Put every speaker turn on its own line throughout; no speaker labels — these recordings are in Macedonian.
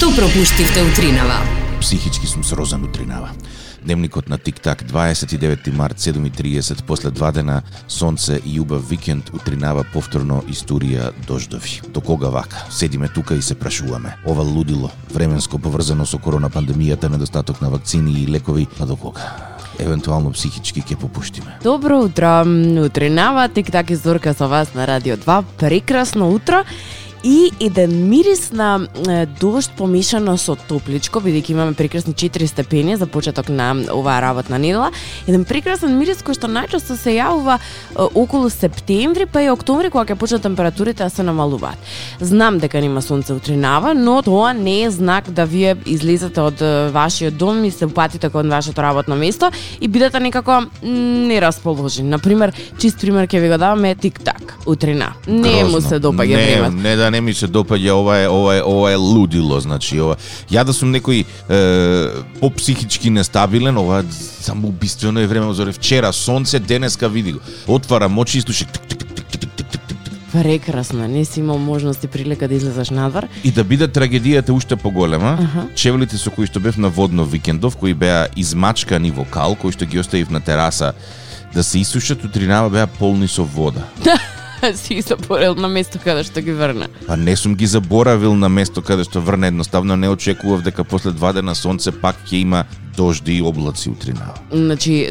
Што пропуштивте утринава?
Психички сум срозан утринава. Дневникот на Тик-так, 29 март, 7:30, после 2 дена сонце и убав викенд, утринава повторно историја дождови. До кога вака? Седиме тука и се прашуваме. Ова лудило, временско поврзано со корона пандемијата, недостаток на вакцини и лекови, а до кога? Евентуално психички ќе попуштиме.
Добро утро, утринава, Тик-так и Зорка со вас на Радио 2. Прекрасно утро. И еден мирис на дожд помешано со топличко, бидејќи имаме прекрасни 4 степени за почеток на оваа работна недела. Еден прекрасен мирис кој што најчесто се јавува околу септември, па и октомври, кога ќе почнат температурите да се намалуваат. Знам дека нема сонце утринава, но тоа не е знак да вие излезете од вашиот дом и се упатите кон вашето работно место и бидете некако нерасположени. Например, чист пример ќе ви го даваме Тик-так утрина. Не му се допаѓа времето.
Не ми се допаѓа, ова е лудило, значи ова. Ја да сум некој по-психички нестабилен, ова самоубиствено е време. Зоре вчера сонце, денеска види го. Отварам очи и слушам
прекрасно, не си имал можност и прилика да излезеш надвор.
И да биде трагедијата уште поголема, чевлите со кои што бев на водно викендов, кои беа измачкани во кал, кои што ги оставив на тераса да се исушат, утринава беа полни со вода.
Си заборавил на место каде што ги врна.
Па не сум ги заборавил на место каде што врна, едноставно не очекував дека после 2 дена сонце пак ќе има дожди и облаци утринава.
Значи,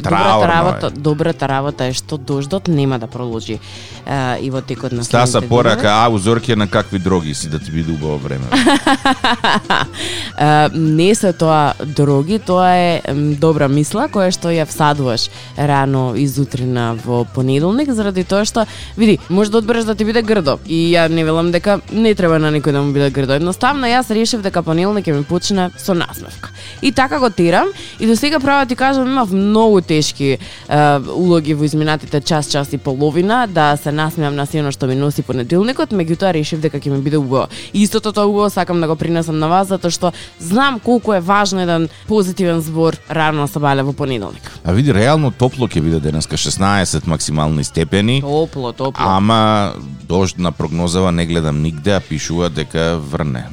добрата работа е што дождот нема да проложи и во текот на следните
Стаса порака, Зорке, на какви дроги си да ти биде убаво време?
Не се тоа дроги, тоа е добра мисла која што ја всадуваш рано изутрина во понеделник, заради тоа што, види, може да одбереш да ти биде грдо. И ја не велам дека не треба на никој да му биде грдо. Едноставно јас решив дека понеделник ќе ми почне со насмевка. И така го терам. И до сега права ти кажам, имав многу тешки улоги во изминатите час и половина да се насмеам на сено што ми носи понеделникот, меѓутоа решив дека ќе ми биде убаво. И истото тоа убаво сакам да го принесам на вас, затоа што знам колку е важно еден позитивен збор рано сабале во понеделник.
А види, реално топло ќе биде денеска, 16 максимални степени.
Топло.
Ама дожд на прогнозава не гледам нигде, а пишува дека врне.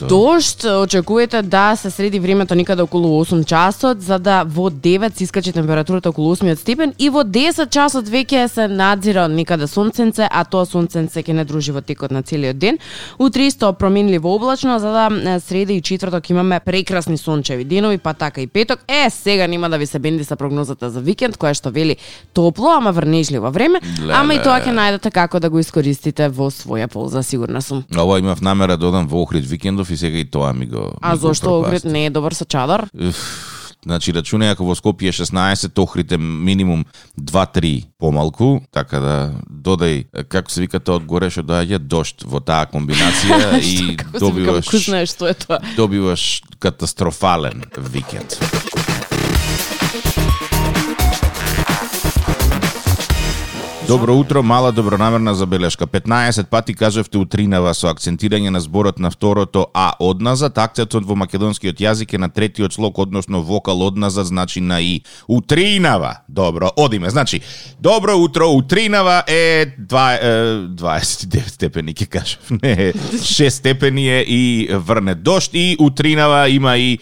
Дожд очекувате да се среди времето никаде околу 8 часот, за да во 9 се искачи температурата околу 8 степен и во 10 часот веќе се надзира никаде сонценце, а тоа сонценце ќе не дружи во текот на целиот ден. Утре исто променливо облачно, за да среда и четврток имаме прекрасни сончеви денови, па така и петок. Сега нема да ви се бенди са прогнозата за викенд, која што вели топло, ама врнежливо време, ама и тоа ќе најдете како да го искористите во своја полза, сигурна сум.
Ова имав намера да одам во Охрид викендов и сега и тоа ми го.
А зошто Охрид не е добар со чадар?
Значи, рачунај ако во Скопје 16, Охрид е минимум 2-3 помалку, така да додај, како се вика тоа одгоре што доаѓа дожд во таа комбинација и добиваш катастрофален викенд. Добро утро, мала добронамерна забелешка. 15 пати кажавте утринава со акцентирање на зборот на второто А одназад. Акцентот во македонскиот јазик е на третиот слог, односно вокал одназад, значи на И. Утринава. Добро, одиме. Значи, добро утро, утринава е 29 степени, ќе кажав. Не, 6 степени е и врне дожд и утринава има и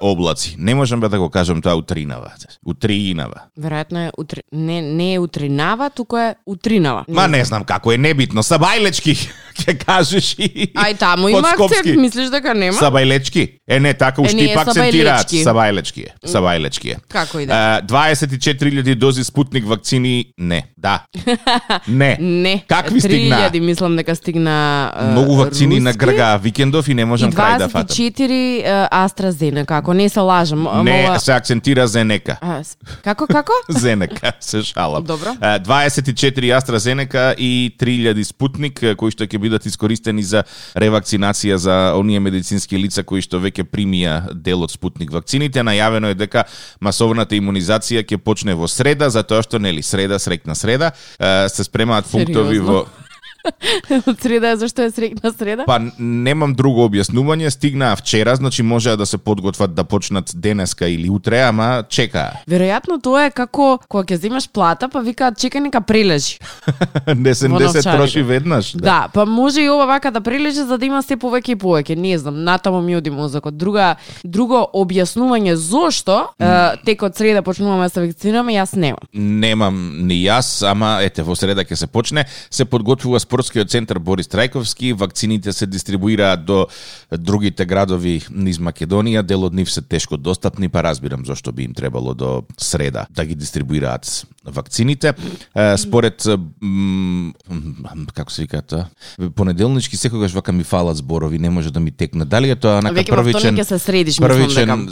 облаци. Не можам да го кажам тоа утринава. Утринава.
Веројатно е не е утринава, туку е утринава.
Ма не знам како е, небитно. Сабајлечки, ќе кажеш и
ај таму има акцент, мислиш дека нема?
Сабајлечки. Не, така уште и пак акцентираат. Сабајлечки е.
Како и да.
24.000 дози Спутник вакцини, не. Да. Не. Какви стигна?
3.000 мислам дека стигна
многу вакцини на Грга викендов и не можам крај да фатам.
24 AstraZeneca, како не се лажам.
Не, се акцентира Зенека.
Како?
Зенека, се шалам.
Добро.
24 AstraZeneca и 3.000 Спутник, кои што ќе бидат искористени за ревакцинација за оние медицински лица кои што веќе примија дел од Спутник вакцините. Најавено е дека масовната имунизација ќе почне во среда, затоа што нели среда, срекна среда, се спремаат пунктови во
Од среда зашто е среќна среда?
Па немам друго објаснување, стигнаа вчера, значи можеа да се подготват да почнат денеска или утре, ама чекаа.
Веројатно тоа е како кога ќе земаш плата, па викаат чекај нека прележи.
Не се троши веднаш.
Да, па може и ова вака да прележи за да има се повеќе и повеќе, не знам, натаму ми оди мозокот. Друго објаснување зошто текот среда почнуваме да се вакцинираме, јас немам.
Немам ни јас, ама ете во среда ќе се почне. Се подготвува спортскиот центар Борис Трајковски, вакцините се дистрибуираат до другите градови низ Македонија, дел од нив се тешко достапни, па разбирам зошто би им требало до среда да ги дистрибуираат вакцините. Според како се вика тоа? Понеделнички секогаш вака ми фалат зборови, не може да ми текне. Дали е тоа нака првичен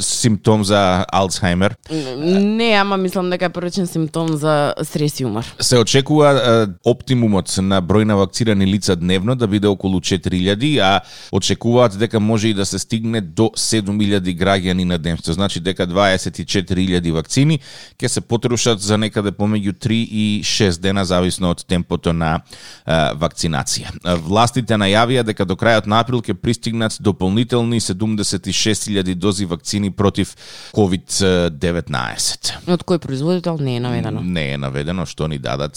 симптом за Алцхаймер?
Не, ама мислам дека е првичен симптом за стрес и умор.
Се очекува оптимумот на број на вакцинирани лица дневно да биде околу 4000, а очекуваат дека може и да се стигне до 7000 граѓани на ден. Што значи дека 24.000 вакцини ќе се потрошат за некаде помеѓу 3 и 6 дена зависно од темпото на вакцинација. Властите најавија дека до крајот на април ќе пристигнат дополнителни 76.000 дози вакцини против COVID-19.
Од кој производител не е наведено?
Не е наведено, што ни дадат.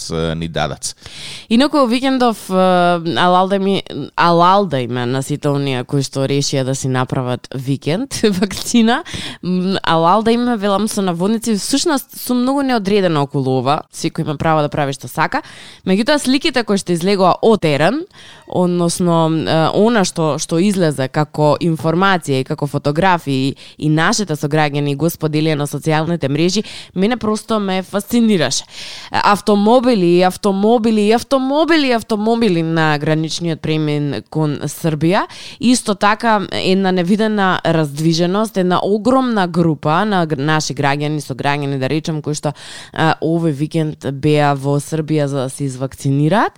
Инаку викендов алалда има на сите оние кои што решија да си направат викенд вакцина. Алалда има, велам со наводници, всушност сум многу неодредена околу ова, секој има право да прави што сака. Меѓутоа сликите кои што излегоа од терен, односно она што излезе како информација и како фотографии и нашите сограѓани го споделија на социјалните мрежи, мене просто ме фасцинираше. Автомобили на граничниот премин кон Србија, исто така една невидена раздвиженост, една огромна група на наши граѓани, сограѓани да речем, кои што овој викенд беа во Србија за да се извакцинираат.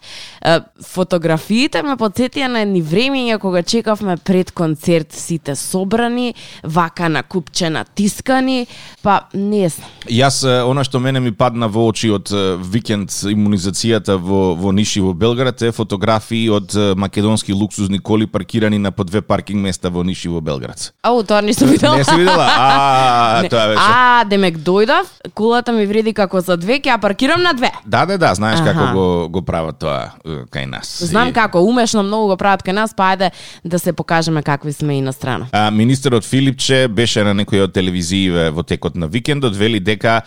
Фотографиите ме потсетија на едни времења кога чекавме пред концерт сите собрани, вака на купче натискани, па не знам.
Јас, она што мене ми падна во очи од викенд имунизацијата во Ниш и во Белград е фотографии од македонски луксузни коли паркирани на по 2 паркинг места во Ниш и во Белград.
Тоа не сум видела.
Не си видела? Тоа беше.
Демек дојдов, колата ми вреди како за 2, ќе ја паркирам на 2.
Да, знаеш како го прават тоа кај нас.
Знам како, умешно многу го прават кај нас, па ајде да се покажеме какви сме и на страна.
Министерот Филипче беше на некој од телевизиите во текот на викендот, вели дека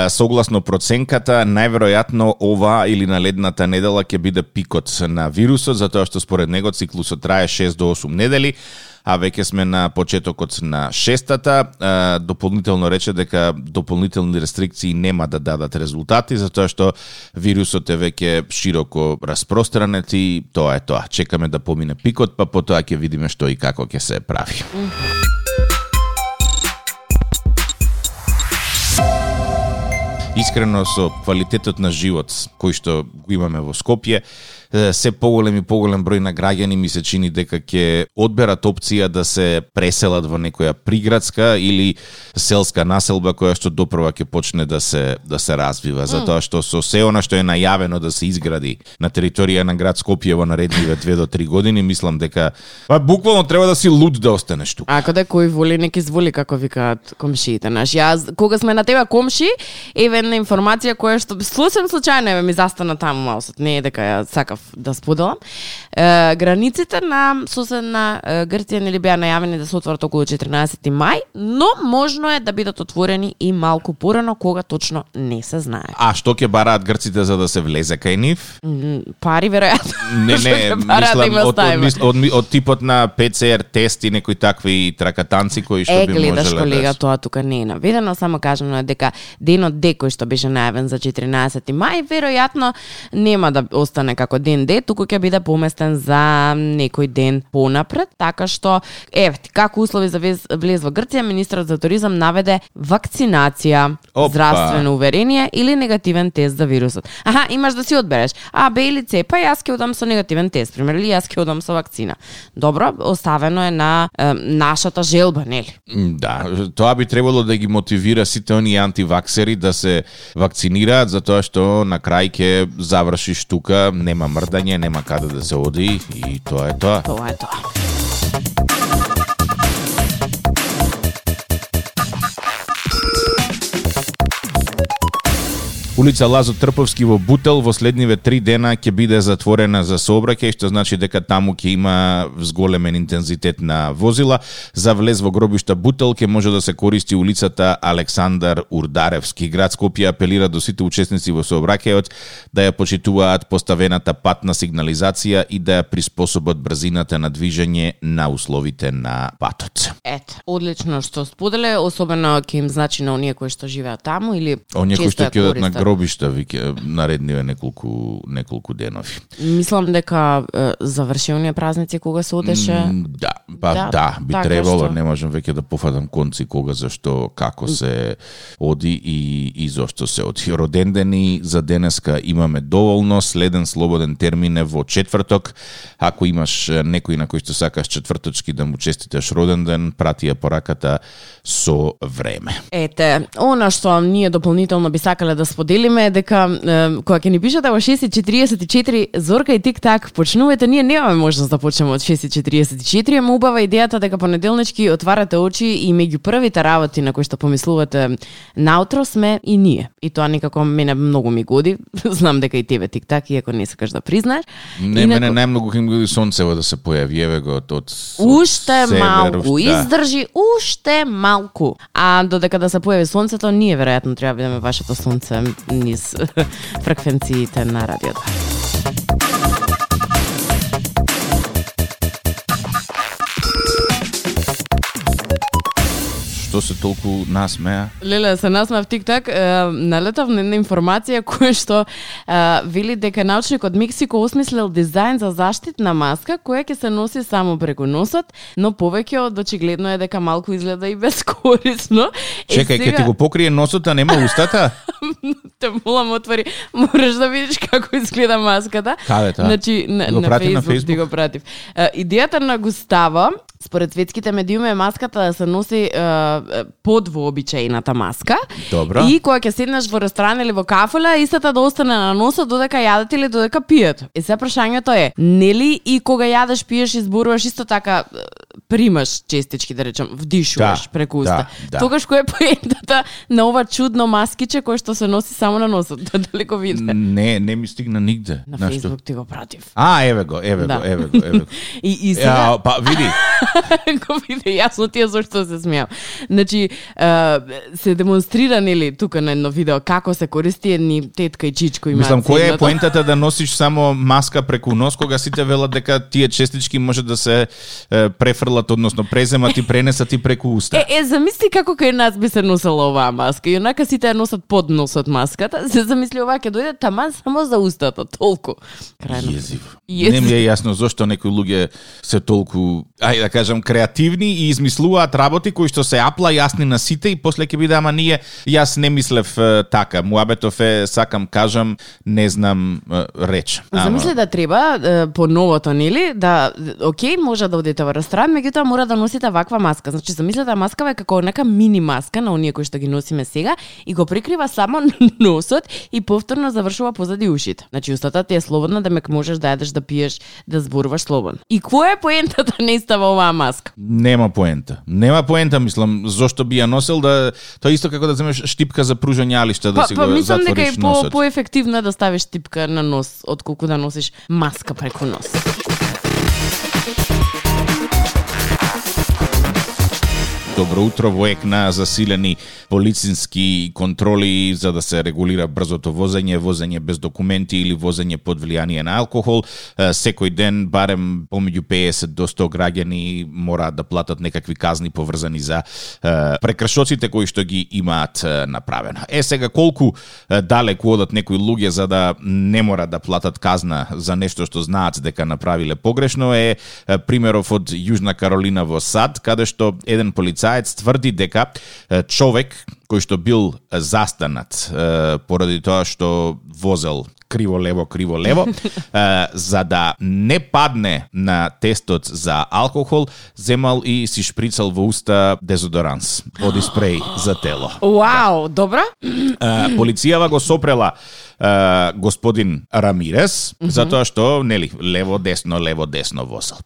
согласно проценката најверојатно ова или наледната недела ќе биде пикот на вирусот, затоа што според него циклусот трае 6 до 8 недели, а веќе сме на почетокот на 6-та. Дополнително рече дека дополнителни рестрикции нема да дадат резултати, затоа што вирусот е веќе широко распространет и тоа е тоа. Чекаме да помине пикот, па потоа ќе видиме што и како ќе се прави. Искрено со квалитетот на живот кој што го имаме во Скопје, се поголем број на граѓани ми се чини дека ќе одберат опција да се преселат во некоја приградска или селска населба која што допрва ќе почне да се развива, затоа што со се она што е најавено да се изгради на територија на град Скопје во наредниве 2 до 3 години, мислам дека буквално треба да си луд да останеш тука.
Ако да кој воли неки зволи, како викаат комшиите наши. Јас кога сме на тебе комши, еве една информација која што случајно ми застана таму малку, не е дека ја сакав да споделам. Границите на соседна Грција нели беа најавени да се отворат околу 14 мај, но можно е да бидат отворени и малку порано, кога точно не се знае.
А што ќе бараат грците за да се влезе кај нив?
Пари веројатно.
Не, од типот на ПЦР тест и некои такви тракатанци кои што би можеле.
Гледаш колега, тоа тука не е наведено, само кажано е дека денот кој што беше најавен за 14 мај, веројатно нема да остане како ден Д, туку ќе биде поместен за некој ден понапред, така што како услови за влез во Грција, министерот за туризам наведе вакцинација, здравствено уверение или негативен тест за вирусот. Имаш да си одбереш А, Б или С, па јас ќе одам со негативен тест, пример, или јас ќе одам со вакцина. Добро, оставено е на нашата желба, нели?
Да, тоа би требало да ги мотивира сите оние антиваксери да се вакцинираат, затоа што на крај ќе завршиш тука, немам мрдање, нема каде да се оди и тоа е тоа.
Тоа е тоа.
Улица Лазо Трповски во Бутел во следниве 3 дена ќе биде затворена за сообраќај, што значи дека таму ќе има зголемен интензитет на возила. За влез во гробишта Бутел ќе може да се користи улицата Александар Урдаревски. Град Скопје апелира до сите учесници во сообраќајот да ја почитуваат поставената патна сигнализација и да ја приспособат брзината на движење на условите на патот.
Ето, одлично што споделе, особено ќе им значи на оние кои што живеат таму или
оние кои што
често ја
ќе одат на
користат.
гробишта, виќе наредниве неколку денови.
Мислам дека завршилни празници кога се одеше.
Да, би
така
требало,
што.
не можам веќе да пофатам конци кога, зашто, како се оди и зошто се оди. Родендени за денеска имаме доволно, следен слободен термин е во четврток. Ако имаш некој на кој што сакаш четврточки да му честиташ роден ден, прати ја пораката со време.
Ете, она што ние дополнително би сакале да споделиме е дека кога ќе ни пишете во 6:44 Зорка и Тик-так почнувате, ние немаме можност да почнеме од 6:44, ама убава идејата дека понеделнички отварате очи и меѓу првите работи на кои што помислувате наутро сме и ние. И тоа некако мене многу ми годи. Знам дека и тебе Тик-так, иако не сакаш да признаеш.
Не, мене најмногу ќе ми годи сонцево да се појави, еве го од
Уште
север,
малку,
да.
издржи уште малку. А додека да се појави сонцето, ние веројатно треба да бидеме вашето сонце низ фреквенциите на радиото.
Што се толку насмеа?
Леле, се насмеав Тик-так, налетав на една информација која што вели дека научник од Мексико осмислил дизајн за заштитна маска која ќе се носи само преку носот, но повеќе од очигледно е дека малку изгледа и безкорисно.
Чекај, ќе ти го покрие носот, а нема устата?
Те молам, отвори, мораш да видиш како изгледа маската.
Каде тоа?
Значи, на Facebook ти го пратив. Идејата на Густаво, според светските медиуми, е маската да се носи под вообичаената маска.
Добро.
И кога ќе седнеш во ресторан или во кафела, истата да остане на носот додека јадете или додека пиете. И се прашањето е, нели и кога јадеш, пиеш, изборуваш исто така примаш честички, да речем, вдишуваш преку уста.
Да.
Тогаш кој е поентата на ова чудно маскиче кое што се носи само на носот? Дали го виде?
Не ми стигна нигде.
На Facebook ти го пратив.
Еве го.
И сега
Па види.
го виде јасно тие зашто се смеам. Значи, се демонстрира нели тука на едно видео како се користи едни тетка и чичко имаат.
Мислам, која е поентата да носиш само маска преку нос кога сите велат дека тие честички може да се префрлат, односно преземат и пренесат и преку уста.
Замисли како кај нас би се носела оваа маска. И онака сите ја носат под носот маската. Се замисли оваа ќе дојде таман само за устата, толку.
Језив. Не ми е јасно зошто некои луѓе се толку, ајде да кажам, креативни и измислуваат работи кои што се апла јасни на сите и после ќе биде, ама ние, јас не мислев така. Муабетов е, сакам кажам, не знам реч.
Замисли да треба по новото, нели, да окей, може да одите во ресторан, меѓутоа мора да носите ваква маска. Значи, замислете, маскава е како нека мини маска на оние кои што ги носиме сега и го прикрива само носот и повторно завршува позади ушите. Значи, устата ти е слободна да можеш да јадеш, да пиеш, да зборуваш слободно. И која е поентата не става оваа маска?
Нема поента, мислам, зошто би ја носел, да тоа исто како да земеш штипка за пружање алишта, да си го затвориш носот.
Мислам дека е поефективно да ставиш штипка на нос отколку да носиш маска преку нос.
Добро утро, во ек на засилени полицински контроли за да се регулира брзото возење без документи или возење под влијание на алкохол. Секој ден барем помеѓу 50 до 100 граѓани мораат да платат некакви казни поврзани за прекршоците кои што ги имаат направено. Сега колку далеку одат некои луѓе за да не мора да платат казна за нешто што знаат дека направиле погрешно е примеров од Јужна Каролина во САД, каде што еден полицаец тврди дека човек кој што бил застанат поради тоа што возел криво-лево, за да не падне на тестот за алкохол, земал и си шприцал во уста дезодоранс, боди спреј за тело.
Вау, добро.
Полицијава го сопрела господин Рамирес, затоа што, нели, лево десно возел.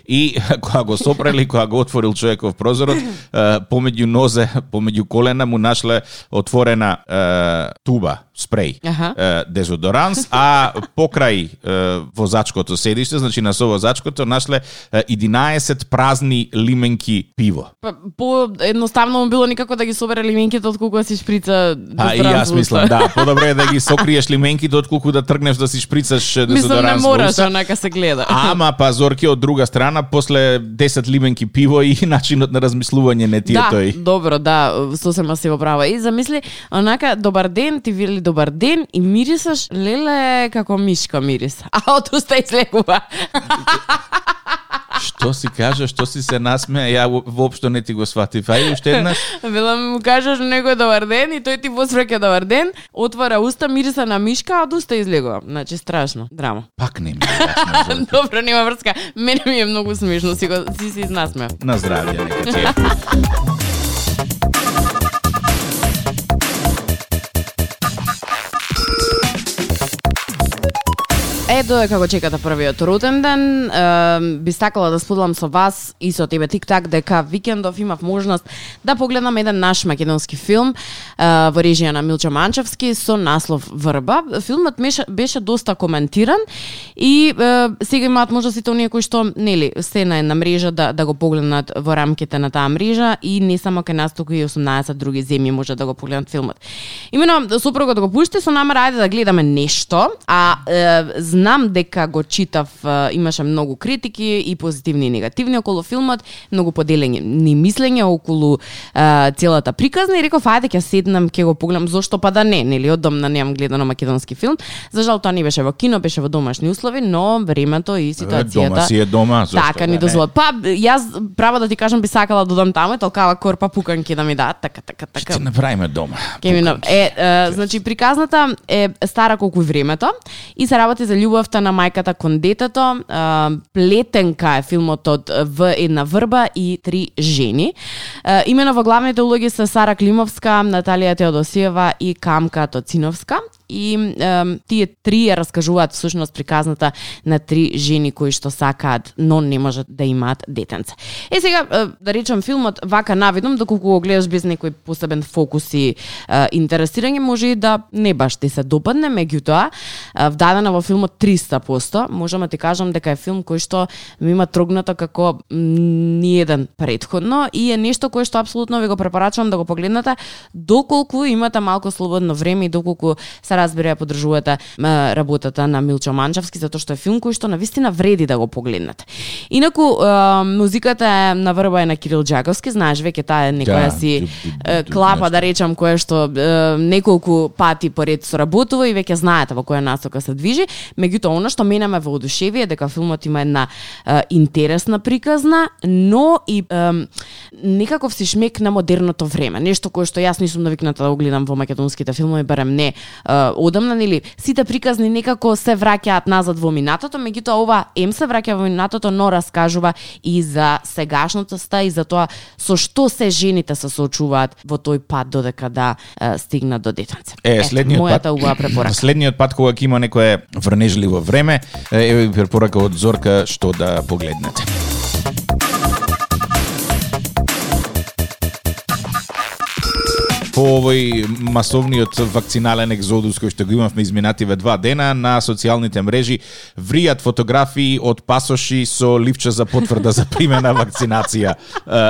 И кога го сопрели, кога го отворил човеков прозорот, помеѓу колена му нашле отворена туба спреј, дезодоранс, а покрај возачкото седиште, значи на совозачкото, нашле 11 празни лименки пиво.
По едноставно му било никако да ги собере лименките отколку да си шприца дезодоранс.
И јас мислам, да, подобро е да ги сокриеш лименките отколку да тргнеш да си шприцаш дезодоранс.
Мислам, не мораш, онака се гледа.
Ама Зорке, од друга страна, после 10 лименки пиво и начинот на размислување не ти е тој.
Да, добро, да, сосема си во права. И замисли, онака, добар ден, ти вели добар ден и мирисаш, леле, како мишка мирис. А од уста излегува.
Што си кажа, што си се насмеа, ја воопшто не ти го сватив. Ајде уште еднаш.
Велам му кажеш некој добар ден и тој ти возвраќа добар ден, отвара уста, мириса на мишка, а од уста излегува. Значи страшно, драма.
Пак не ми е јасно.
Добро, нема врска. Мене ми е многу смешно, си изнасмеа.
На здравје, нека ти е.
Додека го чекате првиот роден ден, би сакала да споделам со вас и со тебе тик-так дека викендов имав можност да погледнам еден наш македонски филм во режија на Милчо Манчевски со наслов Врба. Филмот беше доста коментиран и сега имаат можностите оние кои што нели се на една мрежа да го погледнат во рамките на таа мрежа и не само кај нас, туку и 18 други земји може да го погледнат филмот. Имено сопругот го пушти со намера ајде да гледаме нешто, а знам дека го читав, имаше многу критики и позитивни и негативни околу филмот, многу поделени мислење околу целата приказна и реков ајде ќе седнам, ќе го погледам, зошто па да не, нели одамна немам гледано македонски филм. За жал тоа не беше во кино, беше во домашни услови, но времето и ситуацијата.
Дома си е дома, зошто
така ни дозволат. Па јас право да ти кажам би сакала да одам таму, толкава корпа пуканки да ми дадат, така.
Ќе направиме дома.
Значи приказната е стара колку времето и се работи за љубовта на мајката кон детето. Плетенка е филмот од В една врба и 3 жени. Имено во главните улоги се Сара Климовска, Наталија Теодосиева и Камка Тоциновска. И тие три ја раскажуваат всушност приказната на 3 жени кои што сакаат, но не можат да имаат детенце. Сега, да речем, филмот вака навидом, доколку го гледаш без некој посебен фокус и интересирање, може и да не баш ти се допадне, меѓутоа, вдадена во филмот 300%, можам да ти кажам дека е филм кој што ми има трогнато како ниеден предходно и е нешто кое што апсолутно ви го препорачувам да го погледнете, доколку имате малку слободно време и доколку се разбира ја поддржувате работата на Милчо Манчевски, затоа што е филм кој што навистина вреди да го погледнете. Инаку музиката на Врба е на Кирил Џаковски, знаеш, веќе таа е некоја си клапа, да речам, која што неколку пати поред соработува и веќе знаете во која насока се движи. Меѓутоа, она што мене ме воодушеви е дека филмот има една интересна приказна, но и некаков си шмек на модерното време. Нешто кое што јас не сум навикната да го гледам во македонските филмови, барем не одамна, нели, сите приказни некако се враќаат назад во минатото, меѓутоа ова се враќа во минатото, но раскажува и за сегашноста и за тоа со што се жените се соочуваат во тој пат додека да стигнат до детенце. Мојата убава препорака.
Следниот пат кога ќе има некое врнежливо време, е препорака од Зорка што да погледнете. По овој масовниот вакцинален екзодус кој што го имавме изминативе 2 дена, на социјалните мрежи вријат фотографии од пасоши со ливче за потврда за примена вакцинација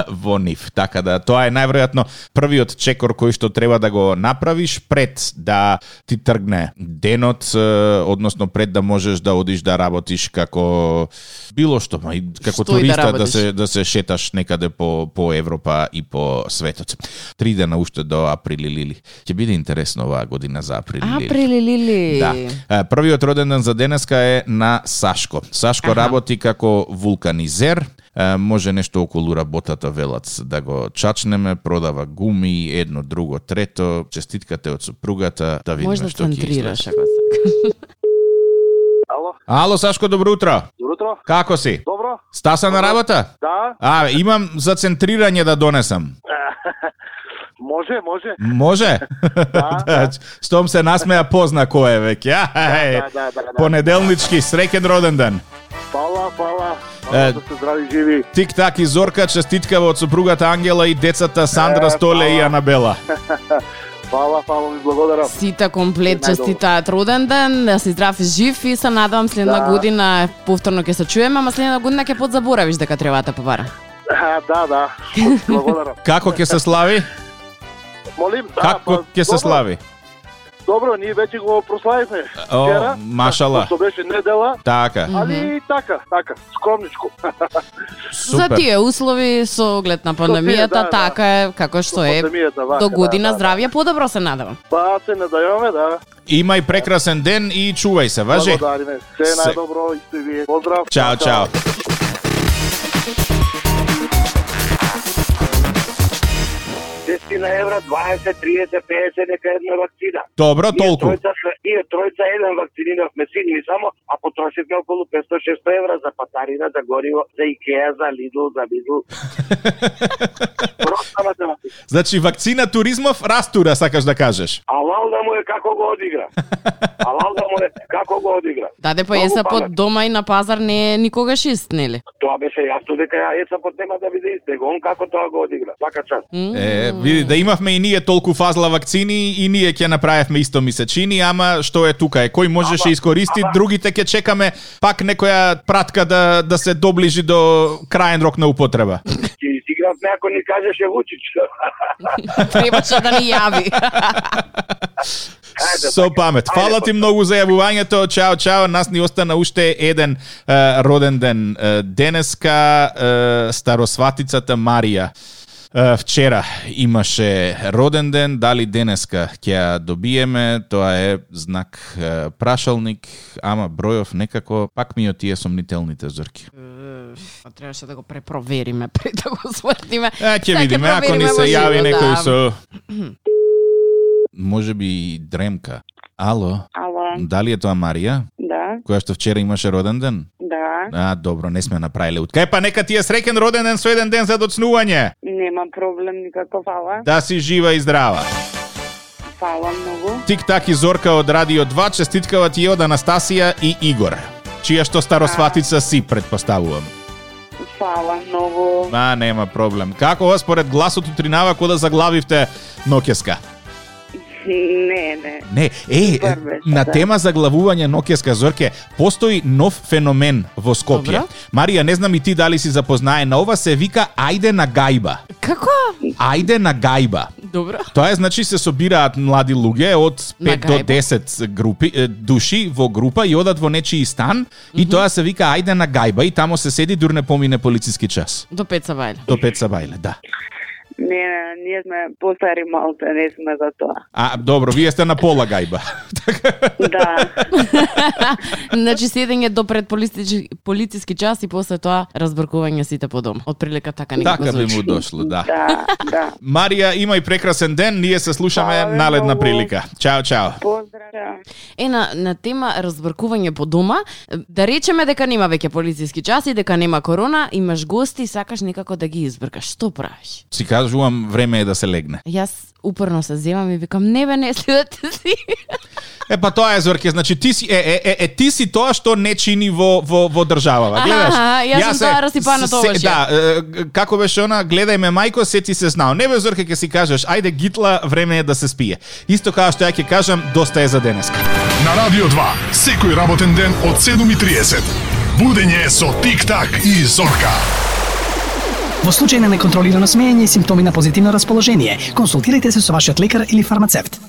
во нив. Така да, тоа е најверојатно првиот чекор кој што треба да го направиш пред да ти тргне денот, односно пред да можеш да одиш да работиш како било што, како туриста да се шеташ некаде по Европа и по светот. 3 дена уште до април лили. Ќе биде интересно оваа година за април лили.
Април лили.
Да. Првиот роден ден за денеска е на Сашко. Сашко работи како вулканизер. Може нешто околу работата велат да го чачнеме, продава гуми, едно, друго, трето. Честиткате од супругата, да видиме што ќе излезе. Ало, Сашко, добро утро.
Добро утро.
Како си?
Добро.
Стаса на работа?
Да.
Имам за центрирање да донесам.
Може.
Може?
Да.
Штом се насмеа позна кој е веќе.
Да.
Понеделнички, среќен роден ден.
Фала. Да се здрави живи.
Тик-так и Зорка, честиткава од сопругата Ангела и децата Сандра, Столе и Анабела.
Фала, ви благодарам.
Сите комплет честитаат роден ден, да си здрав и жив и се надевам следна година повторно ќе се чуеме, ама следна година ќе подзаборавиш дека треба да побара.
Да. Благодарам.
Како ќе се слави?
Молим,
Како ќе се слави?
Добро, ние веќе го прославивме вчера.
Машала.
Што беше недела.
Така.
Али така, скромничко.
За тие услови со оглед на пандемијата, така е како што е. До година здравје подобро се надевам.
Се надеваме, да.
Имај прекрасен ден и чувај се, важи.
Благодариме. Се најдобро и сте вие. Поздрав.
Чао.
10 евра, 20, 30, 50, нека една вакцина.
Добро, толку.
Ние тројца еден вакциниравме сини само, а потрошивме околу 500-600 евра за патарина, за гориво, за Икеа, за Лидл, за Бидл. Просто математика.
Значи, вакцина туризмов растура, сакаш да кажеш?
Алал да му е како го одигра.
Даде па ЕСАПот дома и на пазар не е никогаш ист, нели?
Тоа беше јасно дека ЕСАПот нема да биде ист, него он како тоа го одигра. Свака час.
Види, да имавме и ние толку фазла вакцини и ние ќе направевме исто ми се чини, ама што е тука е, кој можеше искористи, другите ќе чекаме пак некоја пратка да се доближи до краен рок на употреба.
Ќе изигравме ако ни кажеше Вучич.
Требаше да ни јави.
Со памет. Фала ти многу за јавувањето. Чао. Нас ни остана уште еден роден ден. Денеска старосватицата Марија. Вчера имаше роден ден, дали денеска ќе ја добиеме, тоа е знак прашалник, ама бројов некако пак ми од тие сомнителните зорки.
Требаше да го препровериме пред да го свртиме.
Ќе видиме, ако ни се јави некој со... Може би Дремка. Ало? Дали е тоа Марија?
Да.
Која што вчера имаше роден ден?
Да.
Добро, не сме направиле. Кај па нека ти е среќен роден ден со еден ден за доцнување.
Нема проблем никако, фала.
Да си жива и здрава.
Фала многу.
Тик-так и Зорка од Радио 2, честиткава ти од Анастасија и Игор, чија што старосватица си, предпоставувам.
Фала многу.
Нема проблем. Како според гласот утринава кога заглавивте ноќеска?
Не.
На тема заглавување ноќеска, Зорке, постои нов феномен во Скопје.
Добро.
Марија, не знам и ти дали си запознае на ова, се вика ајде на гајба.
Како?
Ајде на гајба.
Добро.
Тоа е, значи, се собираат млади луѓе од 5 до 10 души во група и одат во нечии стан и тоа се вика ајде на гајба и тамо се седи дур не помине полициски час.
До 5 сабајле.
До 5 сабајле, да.
Не, ние сме постари малце, не сме за тоа.
Добро, вие сте на пола гајба.
Да.
Значи седење до пред полициски час и после тоа разбркување сите по дом. Од прилика така некако
Така би
звучи.
му дошло, да.
Да.
Марија, имај прекрасен ден, ние се слушаме наледна прилика. Чао.
Поздрав.
На тема разбркување по дома, да речеме дека нема веќе полициски час и дека нема корона, имаш гости и сакаш некако да ги избркаш. Што правиш?
Си кажувам, време е да се легне.
Јас упорно се земам и викам, не следете си.
Па тоа е, Зорке, значи ти си ти си тоа што не чини во државава. Гледаш?
Јас сум тоа расипана тогаш.
Да, како беше она, гледај ме мајко, сети се знao. Не бе, Зорке, ќе си кажеш, ајде гитла, време е да се спие. Исто како што ја ќе кажам, доста е за денеска.
На Радио 2, секој работен ден од 7:30. Будење со Тик-так и Зорка.
Во случај на неконтролирано смеење и симптоми на позитивно расположение, консултирайте се со вашиот лекар или фармацевт.